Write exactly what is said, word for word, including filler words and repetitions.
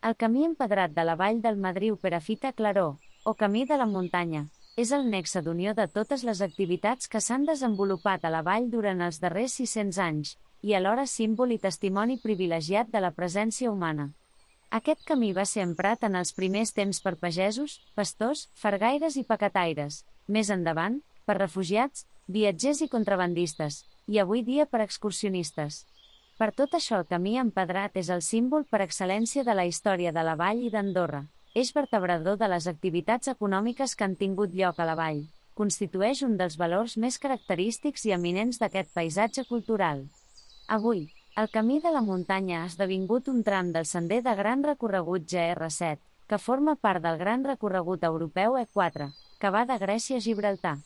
El camí empedrat de la vall del Madriu Perafita Claró, o Camí de la Muntanya, és el nexe d'unió de totes les activitats que s'han desenvolupat a la vall durant els darrers sis-cents anys, i alhora símbol i testimoni privilegiat de la presència humana. Aquest camí va ser emprat en els primers temps per pagesos, pastors, fargaires i paquetaires, més endavant, per refugiats, viatgers i contrabandistes, i avui dia per excursionistes. Per tot això el camí empedrat és el símbol per excel·lència de la història de la vall i d'Andorra, eix vertebrador de les activitats econòmiques que han tingut lloc a la vall, constitueix un dels valors més característics i eminents d'aquest paisatge cultural. Avui, el Camí de la Muntanya ha esdevingut un tram del sender de gran recorregut G R set, que forma part del gran recorregut europeu E quatre, que va de Grècia a Gibraltar.